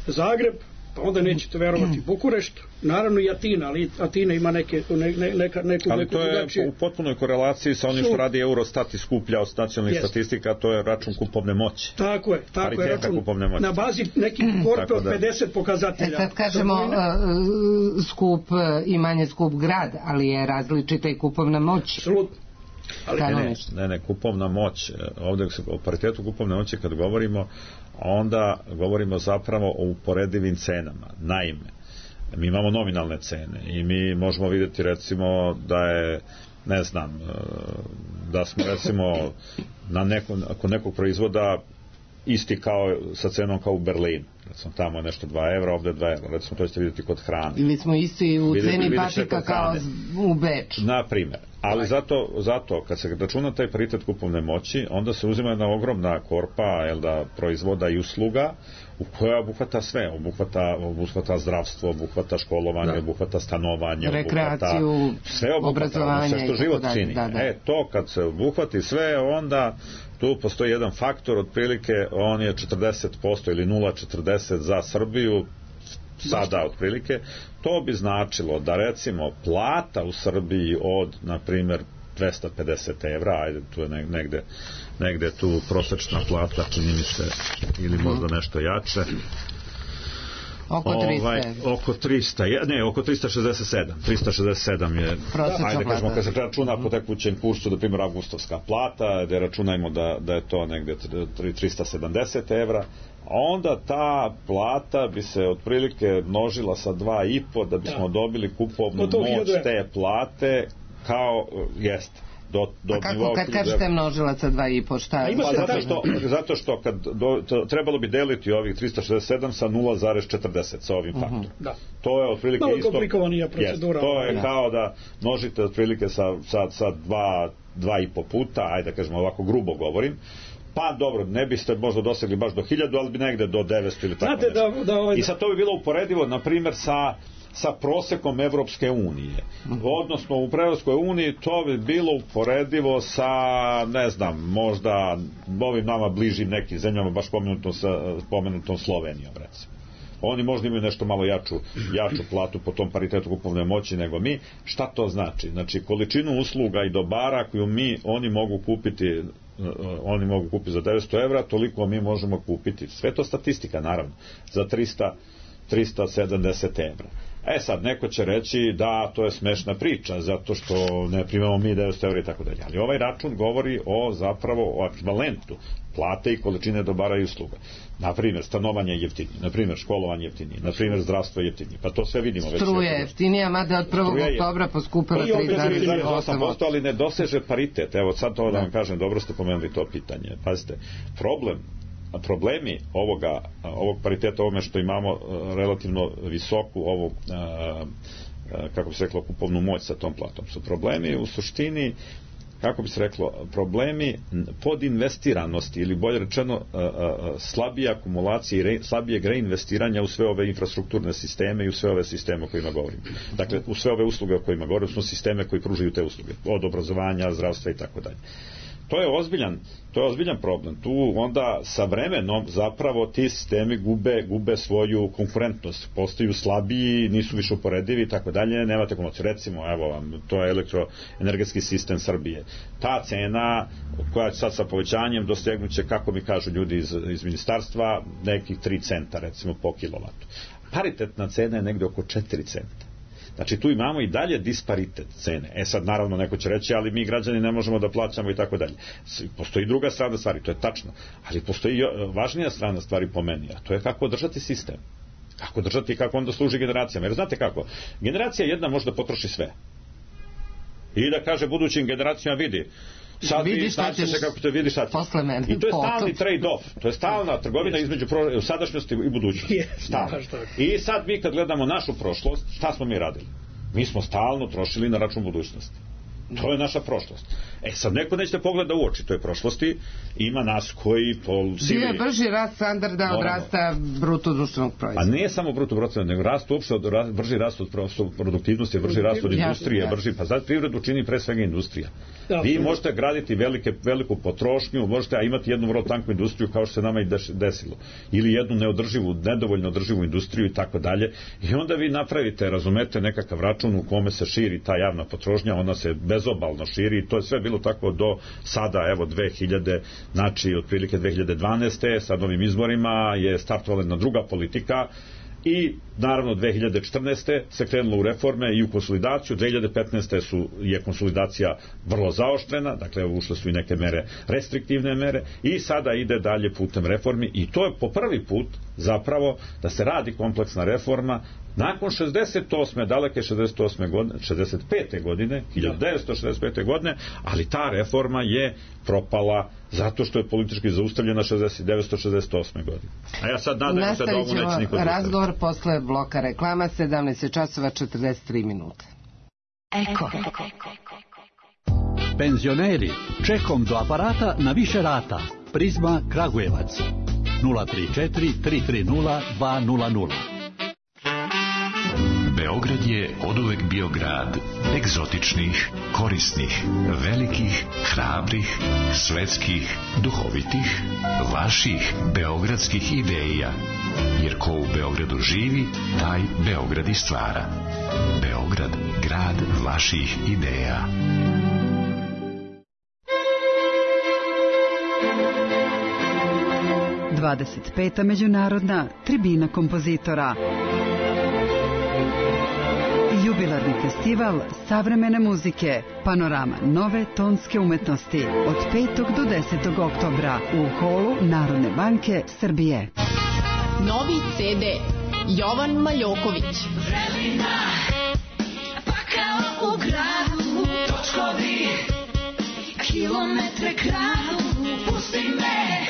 Zagreb, pa onda nećete verovati Bukurešt, naravno i Atina, ali Atina ima neku ali to je u potpunoj korelaciji sa onim što radi Eurostat i skuplja od nacionalnih statistika, to je račun kupovne moći. Tako je, račun na bazi nekih korpe od 50 pokazatelja. Sad kažemo skup i manje skup grad, ali je različita i kupovna moć. Apsolutno. Ne, kupovna moć, ovdje o paritetu kupovne moći kad govorimo, onda govorimo zapravo o uporedivim cenama. Naime, mi imamo nominalne cene i mi možemo vidjeti recimo da je, ne znam, da smo recimo kod nekog proizvoda isti kao sa cenom kao u Berlinu. Recimo tamo je nešto 2 evra, ovdje 2 evra. Recimo to ćete vidjeti kod hrane. Ili smo isti u ceni patika kao u Beču. Na primjer. Ali zato kad se računa taj paritet kupovne moći, onda se uzima jedna ogromna korpa proizvoda i usluga u koja obuhvata sve. Obuhvata zdravstvo, obuhvata školovanje, obuhvata stanovanje, rekreaciju, obrazovanje, sve što život čini. To kad se obuhvati sve, onda tu postoji jedan faktor, otprilike on je 40% ili 0,40 za Srbiju sada otprilike. To bi značilo da recimo plata u Srbiji od, na primjer, 250 evra, ajde, tu je negde tu prosječna plata, čini mi se, ili možda nešto jače, oko 300 oko 367 je, ajde kažemo, kad se računa po tekućem kursu, da primjer avgustovska plata, da računajmo da je to negde 370 evra, onda ta plata bi se otprilike množila sa 2,5 da bismo dobili kupovnu moć te plate kao jeste. A kako kad kažete množila sa 2,5, šta je? Zato što kad trebalo bi deliti ovih 367 sa 0,40 sa ovim faktorom. To je otprilike isto. Malo komplikovanija procedura. To je kao da množite otprilike sa 2,5 puta, ajde da kažemo ovako grubo govorim. Pa dobro, ne biste možda dosegli baš do 1000, ali bi negde do 900 ili tako nešto. I sad to bi bilo uporedivo, na primjer, sa prosekom Evropske unije. Odnosno u Evropskoj uniji to bi bilo uporedivo sa, ne znam, možda ovim nama bližim nekim zemljama, baš pomenutom Slovenijom, recimo. oni možda imaju nešto malo jaču platu po tom paritetu kupovne moći nego mi. Šta to znači? Znači količinu usluga i dobara koju oni mogu kupiti za 900 evra, toliko mi možemo kupiti. Sve to statistika, naravno, za 370 evra. Sad, neko će reći da to je smešna priča, zato što ne primamo mi 900 evra i tako dalje. Ali ovaj račun govori o ekvivalentu plate i količine dobara i usluga. Naprimjer, stanovanje je jeftinije, naprimjer, školovanje je jeftinije, naprimjer, zdravstvo je jeftinije. Pa to sve vidimo. Struje je jeftinija, mada od 1. oktobra poskupila 3,8%, ali ne doseže paritet. Evo, sad to da vam kažem, dobro ste pomenuli to pitanje. Pazite, problemi ovog pariteta, ovome što imamo relativno visoku kako bi se reklo, kupovnu moć sa tom platom, su problemi u suštini, kako bi se reklo, problemi podinvestiranosti ili bolje rečeno slabije akumulacije i slabijeg reinvestiranja u sve ove infrastrukturne sisteme i u sve ove sisteme o kojima govorim. Dakle, u sve ove usluge o kojima govorim su sisteme koji pružaju te usluge, od obrazovanja, zdravstva i tako dalje. To je ozbiljan problem. Tu onda sa vremenom zapravo ti sistemi gube svoju konkurentnost, postaju slabiji, nisu više uporedivi i tako dalje, nemate komociju. Recimo, evo vam, to je elektroenergetski sistem Srbije. Ta cena koja će sad sa povećanjem dostignuće, kako mi kažu ljudi iz ministarstva, nekih 3 centa recimo po kilovatu. Paritetna cena je negde oko 4 centa. Znači tu imamo i dalje disparitet cene. Sad naravno neko će reći, ali mi građani ne možemo da plaćamo i tako dalje. Postoji druga strana stvari, to je tačno, ali postoji važnija strana stvari po meni, a to je kako održati sistem. Kako održati i kako onda služi generacijama. Jer znate kako, generacija jedna može da potroši sve. I da kaže budućim generacijama, vidi šta ćeš kako te vidiš šta ćeš. I to je stalni trade-off, to je stalna trgovina između sadašnjosti i budućnosti. I sad mi kad gledamo našu prošlost, šta smo mi radili? Mi smo stalno trošili na račun budućnosti. To je naša prošlost. Sad neko neće pogleda u oči toj prošlosti, ima nas koji po sili... Bio je brži rast standarda od rasta bruto društvenog proizvoda. A ne samo bruto društvenog, nego brži rast od produktivnosti, brži rast od industrije, pa sad privredu čini pre svega industrija. Vi možete graditi veliku potrošnju, možete imati jednu vrlo tanku industriju kao što se nama i desilo. Ili jednu nedovoljno održivu industriju i tako dalje. I onda vi napravite, razumete, nekakav račun u kome se širi ta javna potrošnja, ona se bezobalno širi i to je sve bilo tako do sada, evo 2000, znači otprilike 2012. sa novim izborima je startovala jedna druga politika i naravno 2014. se krenulo u reforme i u konsolidaciju. 2015. je konsolidacija vrlo zaoštrena, dakle ušle su i neke mere, restriktivne mere, i sada ide dalje putem reformi i to je po prvi put zapravo da se radi kompleksna reforma nakon 68. daleke 68. godine, 65. godine, 1965. godine, ali ta reforma je propala zato što je politički zaustavljena 1968. godine. A ja sad nadam se da ovo neće niko da razgovor posle bloka reklama, 17:43 minuta. Eko. Penzioneri, čekom do aparata na više rata. Prizma Kragujevac 034 330 200. Beograd je oduvek bio grad egzotičnih, korisnih, velikih, hrabrih, svetskih, duhovitih, vaših beogradskih ideja. Jer ko u Beogradu živi, taj Beograd i stvara. Beograd, grad vaših ideja. Dvadeset međunarodna tribina kompozitora. Jubilarni festival savremene muzike, panorama nove tonske umetnosti od 5. do 10. oktobra u holu Narodne banke Srbije. Novi CD Jovan Maljoković. Vrelina, pa kao u gradu, točkovi, kilometre kradu, pusti me,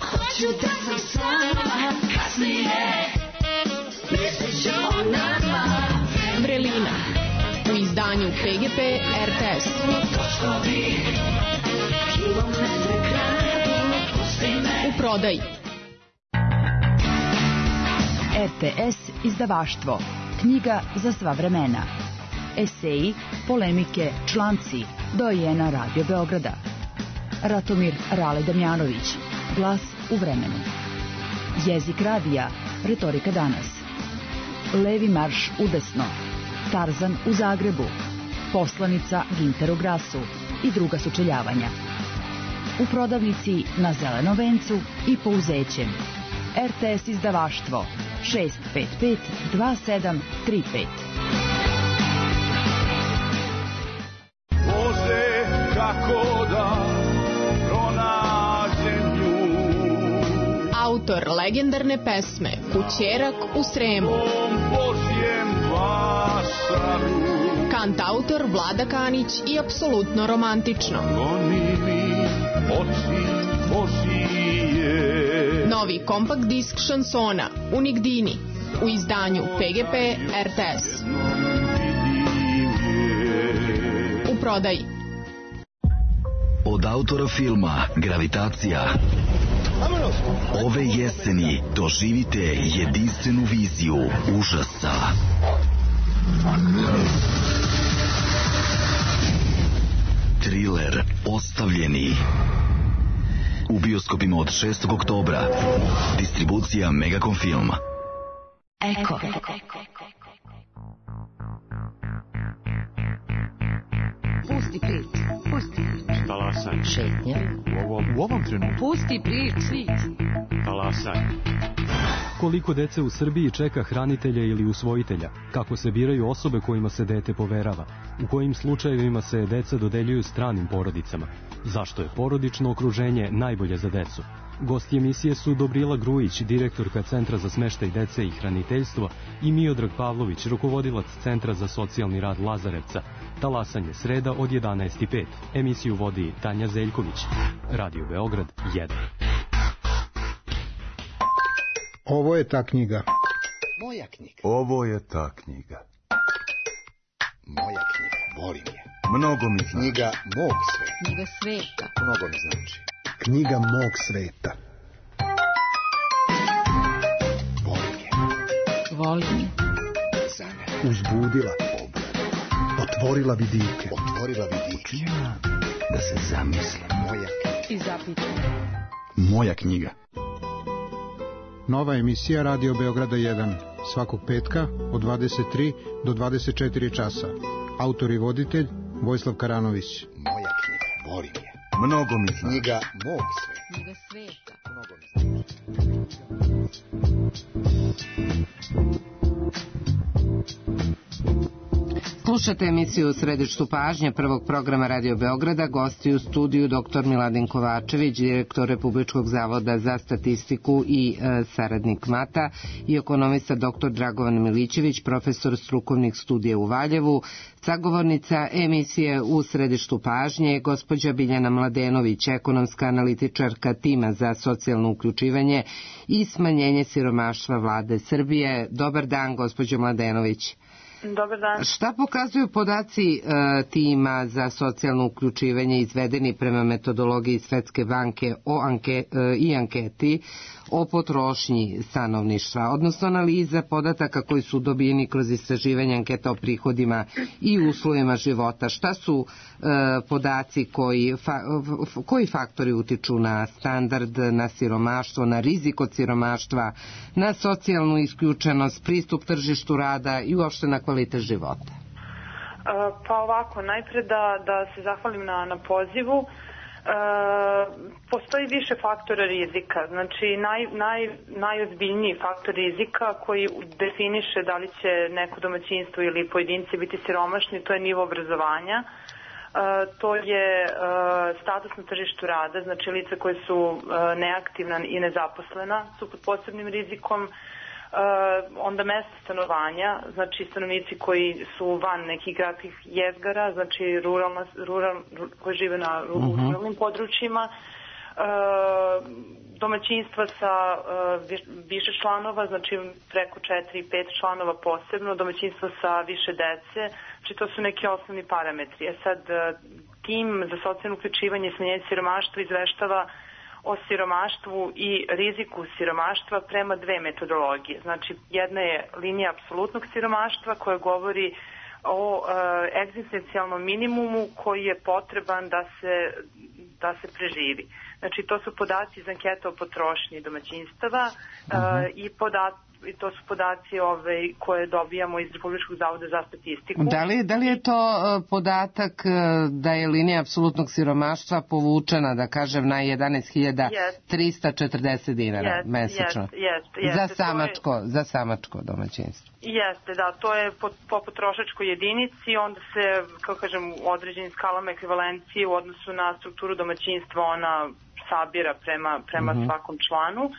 hoću da sam sama, kasnije, mislit ću o nama. Vrelina u izdanju PGP RTS. Točkovi, kilometre kradu, pusti me. U prodaji. RTS izdavaštvo. Knjiga za sva vremena. Eseji, polemike, članci. Dojena Radio Beograda. Ratomir Rale Damjanović. Glas u vremenu. Jezik radija. Retorika danas. Levi marš udesno. Tarzan u Zagrebu. Poslanica Ginter u Grasu i druga sučeljavanja. U prodavnici na Zelenom vencu i Pouzećem. RTS izdavaštvo 655 2735. Bože, kako da pronađem nju. Autor legendarne pesme Kućerak u Sremu. Božjem vasaru. Kantautor Vlada Kanić i apsolutno romantično. Goni mi oči Božije. Novi kompakt disk šansona Unigdini u izdanju PGP RTS. U prodaji. Od autora filma Gravitacija ove jeseni doživite jedinstvenu viziju užasa. Triler Ostavljeni u bioskopima od 6. oktobra. Distribucija Megacom Film. Eko. Pusti priču. Talasanje. Šetnja. U ovom trenutku. Pusti priču. Talasanje. Koliko dece u Srbiji čeka hranitelja ili usvojitelja? Kako se biraju osobe kojima se dete poverava? U kojim slučajevima se deca dodeljuju stranim porodicama? Zašto je porodično okruženje najbolje za decu? Gosti emisije su Dobrila Grujić, direktorka Centra za smeštaj dece i hraniteljstvo, i Miodrag Pavlović, rukovodilac Centra za socijalni rad Lazarevca. Talasanje sreda od 11:05. Emisiju vodi Tanja Zeljković. Radio Beograd 1. Ovo je ta knjiga. Moja knjiga. Ovo je ta knjiga. Moja knjiga. Volim je. Mnogo mi znači. Knjiga mog sveta. Knjiga sveta. Mnogo mi znači. Knjiga mog sveta. Volim je. Volim je. Za mene. Uzbudila. Otvorila vidike. Otvorila vidike. Da se zamislim. Moja knjiga. I zapitam. Moja knjiga. Nova emisija Radio Beograda 1. Svakog petka od 23 do 24 časa. Autor i voditelj Vojislav Karanović. Moja knjiga. Volim je. Mnogo mi znači. Knjiga mog sveta. Knjiga sveta. Mnogo mi Slušate emisiju Središtu pažnje prvog programa Radio Beograda. Gosti u studiju dr. Miladin Kovačević, direktor Republičkog zavoda za statistiku i saradnik MATA, i ekonomista dr. Dragovan Milićević, profesor strukovnih studija u Valjevu. Sagovornica emisije u Središtu pažnje, gospođa Biljana Mladenović, ekonomska analitičarka tima za socijalno uključivanje i smanjenje siromaštva Vlade Srbije. Dobar dan, gospođo Mladenović. Dobar dan. Šta pokazuju podaci tima za socijalno uključivanje izvedeni prema metodologiji Svetske banke i anketi o potrošnji stanovništva, odnosno analiza podataka koji su dobijeni kroz istraživanje anketa o prihodima i uslovima života? Šta su podaci koji faktori utiču na standard, na siromaštvo, na rizik od siromaštva, na socijalnu isključenost, pristup tržištu rada i uopšte na kvalitet života? Pa ovako, najpre da se zahvalim na pozivu. Postoji više faktora rizika. Znači najozbiljniji faktor rizika koji definiše da li će neko domaćinstvo ili pojedinci biti siromašni, to je nivo obrazovanja. To je status na tržištu rada, znači lica koje su neaktivna i nezaposlena su pod posebnim rizikom. Onda mesto stanovanja, znači stanovnici koji su van nekih gradskih jezgara, znači koji žive na ruralnim područjima, domaćinstva sa više članova, znači preko 4-5 članova posebno, domaćinstva sa više dece, znači to su neki osnovni parametri. Sad, tim za socijalno uključivanje i smanjenje siromaštva izveštava o siromaštvu i riziku siromaštva prema dve metodologije. Znači, jedna je linija apsolutnog siromaštva koja govori o egzistencijalnom minimumu koji je potreban da se preživi. Znači, to su podaci iz anketa o potrošnji domaćinstava i i to su podaci koje dobijamo iz Republičkog zavoda za statistiku. Da li je to podatak da je linija apsolutnog siromaštva povučena, da kažem, na 11.340 dinara mesečno? Za samačko domaćinstvo. Jeste, da, to je po potrošačkoj jedinici, onda se, kako kažem, u određenim skalama ekvivalencije u odnosu na strukturu domaćinstva ona sabira prema svakom članu.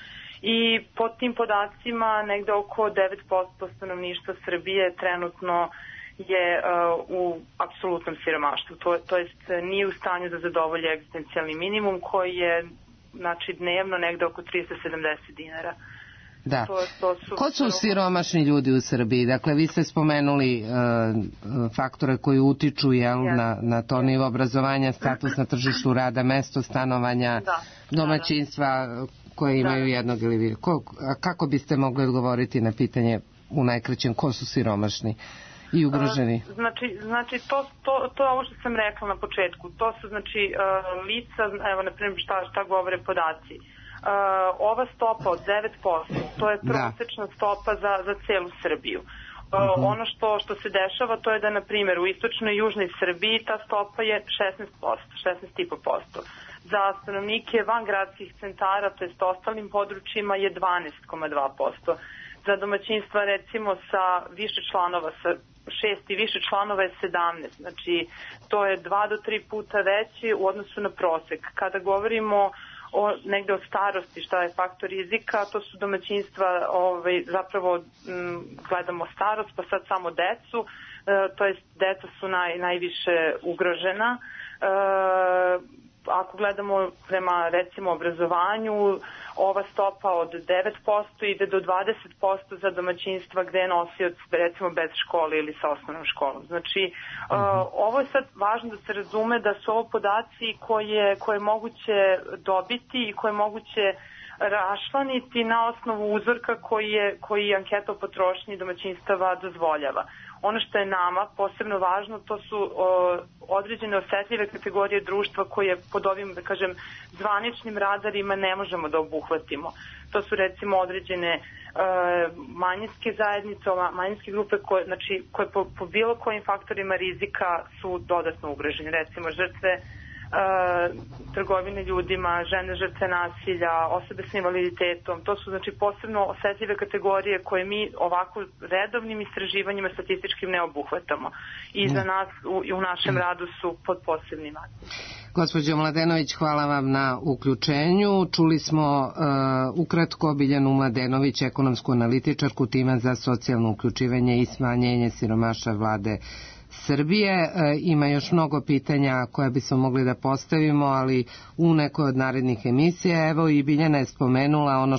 I po tim podacima negde oko 9% stanovništva Srbije trenutno je u apsolutnom siromaštvu. To jest nije u stanju da zadovolji egzistencijalni minimum koji je dnevno negde oko 370 dinara. Da. Ko su siromašni ljudi u Srbiji? Dakle, vi ste spomenuli faktore koji utiču na to nivo obrazovanja, status na tržištu rada, mesto stanovanja, domaćinstva koje imaju jednog ili više. Kako biste mogli odgovoriti na pitanje u najkraćem ko su siromašni i ugroženi? Znači to je ovo što sam rekla na početku. To su lica, evo na primjer šta govore podaci. Ova stopa od 9%, to je prosečna stopa za celu Srbiju. Ono što se dešava, to je da, na primjer, u istočnoj i južnoj Srbiji ta stopa je 16,5%. Za stanovnike van gradskih centara, to jest ostalim područjima, je 12,2%. Za domaćinstva, recimo, sa više članova, sa 6 i više članova je 17. Znači, to je 2 do 3 puta veći u odnosu na prosek. Kada govorimo negde o starosti, šta je faktor rizika, to su domaćinstva, zapravo gledamo starost, pa sad samo decu, to jest deca su najviše ugrožena. Ako gledamo prema, recimo, obrazovanju, ova stopa od 9% ide do 20% za domaćinstva gde je nosioc, recimo, bez škole ili sa osnovnom školom. Znači, ovo je sad važno da se razume da su ovo podaci koje je moguće dobiti i koje je moguće raščlaniti na osnovu uzorka koji anketa o potrošnji domaćinstava dozvoljava. Ono što je nama posebno važno, to su određene osetljive kategorije društva koje pod ovim, da kažem, zvaničnim radarima ne možemo da obuhvatimo. To su, recimo, određene manjinske zajednice, manjinske grupe koje po bilo kojim faktorima rizika su dodatno ugrožene. Recimo, žrtve trgovine ljudima, žene žrtve nasilja, osobe s invaliditetom. To su, znači, posebno osetljive kategorije koje mi ovako redovnim istraživanjima statističkim ne obuhvatamo. I za nas u našem radu su pod posebnim nadzorima. Gospođo Mladenović, hvala vam na uključenju. Čuli smo ukratko Biljanu Mladenović, ekonomsku analitičarku tima za socijalno uključivanje i smanjenje siromaštva Vlade Srbije. Ima još mnogo pitanja koje bismo mogli da postavimo, ali u nekoj od narednih emisija. Evo, i Biljana je spomenula ono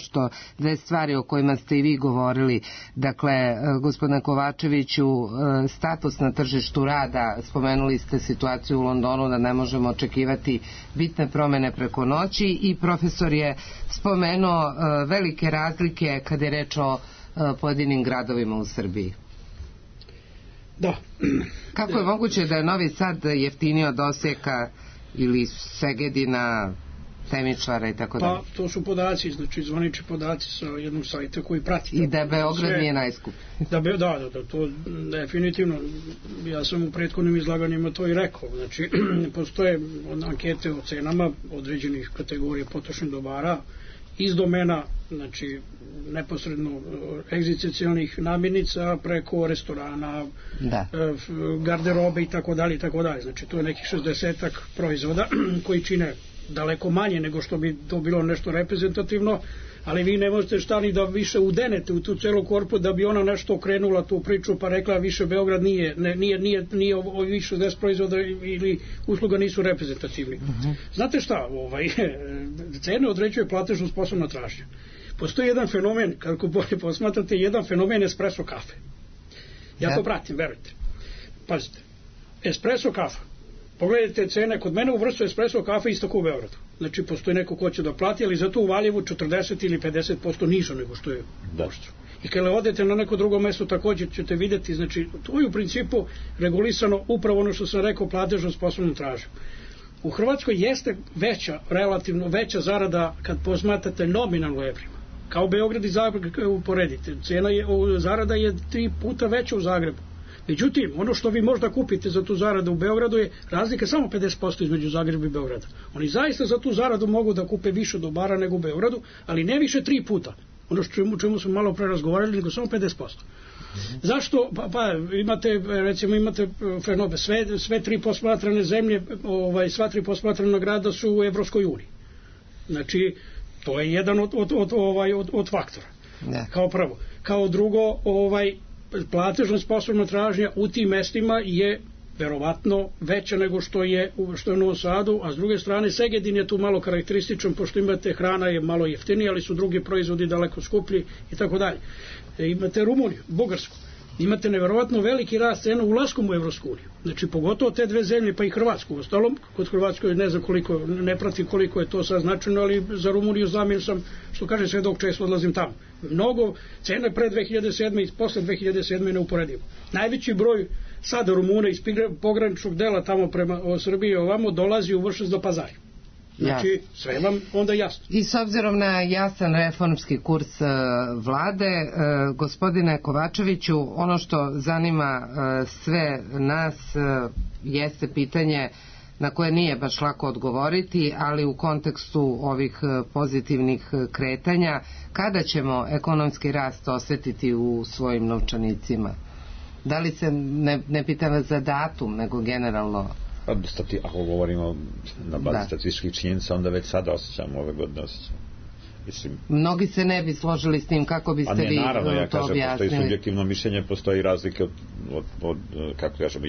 dve stvari o kojima ste i vi govorili. Dakle, gospodine Kovačeviću, status na tržištu rada, spomenuli ste situaciju u Londonu da ne možemo očekivati bitne promene preko noći, i profesor je spomenuo velike razlike kada je reč o pojedinim gradovima u Srbiji. Da. Kako je moguće da je Novi Sad jeftinio od Osijeka ili Segedina, Temičvara i tako dalje? Pa, to su podaci, znači zvanični podaci sa jednog sajta koji prati. I da Beograd nije najskup. Da, to definitivno. Ja sam u prethodnim izlaganjima to i rekao. Znači, postoje ankete o cenama određenih kategorija potrošnih dobara iz domena, znači, neposredno egzistencijalnih namirnica preko restorana, garderobe i tako dalje. Znači, to je nekih 60-ak proizvoda koji čine daleko manje nego što bi to bilo nešto reprezentativno, ali vi ne možete šta ni da više udenete u tu celu korpu da bi ona nešto okrenula tu priču pa rekla više Beograd nije više 10 proizvoda ili usluga nisu reprezentativni. Znate šta, cene određuje platežno sposobna tražnja. Postoji jedan fenomen, kako bolje posmatrate, jedan fenomen espresso kafe. Ja to pratim, verujte. Pazite, espresso kafa. Pogledajte cene, kod mene u vrstu espresso kafe isto kao u Beogradu. Znači, postoji neko ko će da plati, ali zato u Valjevu 40 ili 50% nižo nego što je u Oštru. I kada odete na neko drugo mesto, također ćete vidjeti, znači, to je u principu regulisano upravo ono što sam rekao, platežno sposobnom tražnjom. U Hrvatskoj jeste relativno veća zarada kad posmatrate nominalno evrima. kao Beograd i Zagreb uporedite. Zarada je 3 puta veća u Zagrebu. Međutim, ono što vi možda kupite za tu zaradu u Beogradu je razlika samo 50% između Zagreba i Beograda. Oni zaista za tu zaradu mogu da kupe više dobara nego u Beogradu, ali ne više 3 puta. Ono čemu smo malo pre razgovarali, nego samo 50%. Zašto? Pa imate, recimo, fenomen, sve 3 posmatrane zemlje, sva 3 posmatrana grada su u Evropskoj uniji. Znači, to je jedan od faktora. Kao prvo. Kao drugo, platežna sposobna tražnja u tim mestima je verovatno veća nego što je u Novom Sadu, a s druge strane Segedin je tu malo karakterističan, pošto imate hrana je malo jeftinija, ali su drugi proizvodi daleko skuplji i tako dalje. Imate Rumuniju, Bugarsku, imate neverovatno veliki rast cena ulaskom u Evropsku uniju. Znači, pogotovo te 2 zemlje, pa i Hrvatsku. Ostalom, kod Hrvatskoj ne znam koliko, ne pratim koliko je to sad značajno, ali za Rumuniju znam, jer sam, što kaže, sve dok često odlazim tamo. Mnogo cene pre 2007. i posle 2007. neuporedivo. Najveći broj sada Rumuna iz pograničnog dela tamo prema Srbiji ovamo dolazi u Vršac do Pazara. Znači, sve vam onda jasno. I s obzirom na jasan reformski kurs vlade, gospodine Kovačeviću, ono što zanima sve nas jeste pitanje na koje nije baš lako odgovoriti, ali u kontekstu ovih pozitivnih kretanja, kada ćemo ekonomski rast osetiti u svojim novčanicima? Da li se, ne pitam vas za datum, nego generalno... Ako govorimo na bazi statističkih činjenica, onda već sada osjećamo, ove godine osjećamo. Mislim, mnogi se ne bi složili s tim, kako biste vi to objasnili? Naravno, ja kažem, postoji subjektivno mišljenje, postoji razlike od kako kažemo,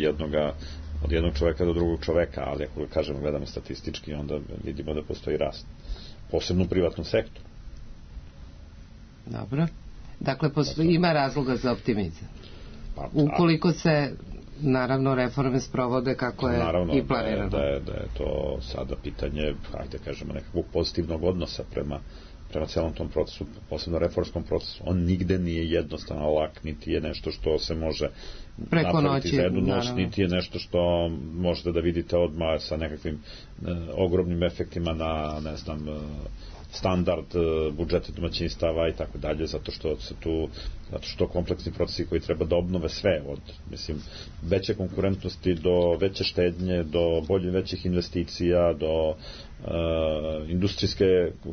od jednog čoveka do drugog čoveka, ali ako kažemo, gledamo statistički, onda vidimo da postoji rast. Posebno u privatnom sektoru. Dobro. Dakle, ima razloga za optimizam. Ukoliko se naravno reforme sprovode kako je i planirano. Da je to sada pitanje, hajde kažemo, nekakvog pozitivnog odnosa prema celom tom procesu, posebno reformskom procesu. On nigde nije jednostavno lak, niti je nešto što se može napraviti za jednu noć, niti je nešto što možete da vidite odmah sa nekakvim ogromnim efektima na, ne znam, standard budžeta domaćinstava i tako dalje, zato što kompleksni procesi koji treba da obnove sve, od veće konkurentnosti do veće štednje, do većih investicija, do industrijske,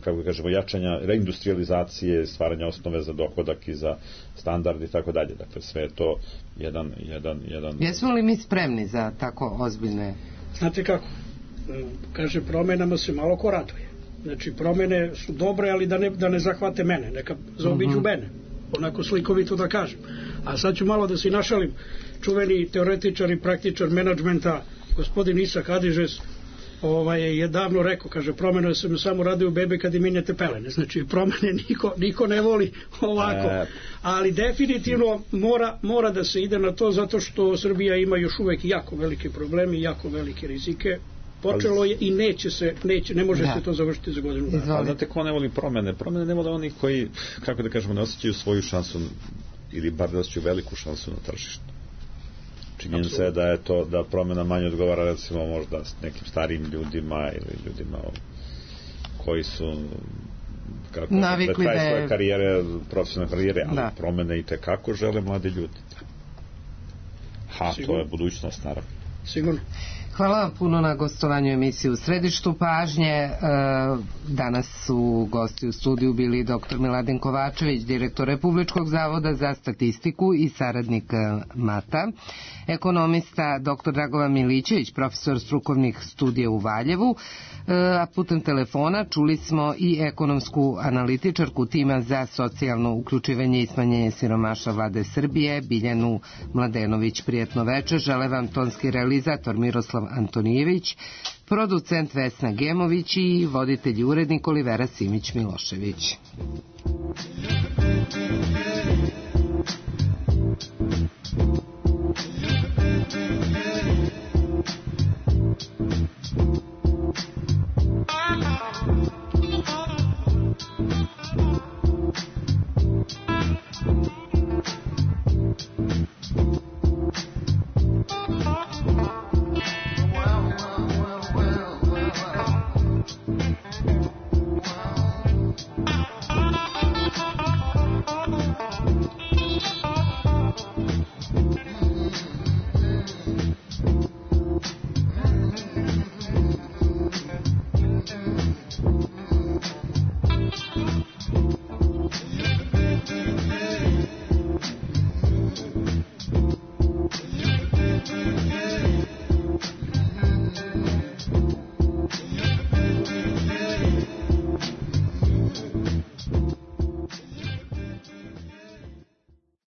kako kažemo, jačanja, reindustrializacije, stvaranja osnove za dohodak i za standard i tako dalje. Dakle, sve je to jedan... Jesmo li mi spremni za tako ozbiljne... Znate kako? Kaže, promenama se malo ko raduje. Znači, promene su dobre, ali da ne zahvate mene, neka zaobiđu mene, onako slikovito da kažem. A sad ću malo da se našalim. Čuveni teoretičar i praktičar menadžmenta, gospodin Isak Hadižes, je davno rekao, kaže, promene se samo rade u bebe kad im minjete pelene. Znači, promene niko ne voli ovako. Ali definitivno mora da se ide na to, zato što Srbija ima još uvek jako velike probleme i jako velike rizike. Počelo je i ne može se to završiti za godinu dana. Znate ko ne voli promene? Promene ne vole oni koji, kako da kažemo, ne osjećaju svoju šansu, ili bar da osjećaju veliku šansu na tržištu. Činjenica je da promena manje odgovara, recimo, možda s nekim starijim ljudima ili ljudima koji su navikli da je svoje karijere, profesionalne karijere, ali promene i tekako žele mladi ljudi. To je budućnost, naravno. Sigurno. Hvala vam puno na gostovanju emisiju U središtu pažnje. Danas su gosti u studiju bili dr. Miladin Kovačević, direktor Republičkog zavoda za statistiku i saradnik MATA, ekonomista dr. Dragovan Milićević, profesor strukovnih studija u Valjevu, a putem telefona čuli smo i ekonomsku analitičarku tima za socijalno uključivanje i smanjenje siromaštva Vlade Srbije, Biljanu Mladenović. Prijetno večer. Žele vam tonski realizator Miroslav Antonijević, producent Vesna Gemović i voditelj i urednik Olivera Simić-Milošević.